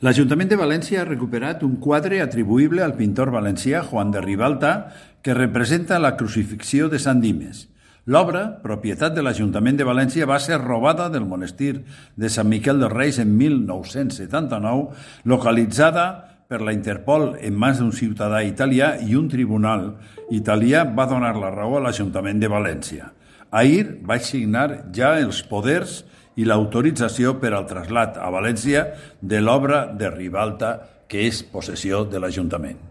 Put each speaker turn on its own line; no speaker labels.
L'Ajuntament de València ha recuperat un quadre atribuïble al pintor valencià Joan de Ribalta que representa la crucifixió de Sant Dimes. L'obra, propietat de l'Ajuntament de València, va ser robada del monestir de Sant Miquel dels Reis en 1979, localitzada per la Interpol en mans d'un ciutadà italià, i un tribunal italià va donar la raó a l'Ajuntament de València. Ahir vaig signar ja els poders i l'autorització per al trasllat a València de l'obra de Ribalta, que és possessió de l'Ajuntament.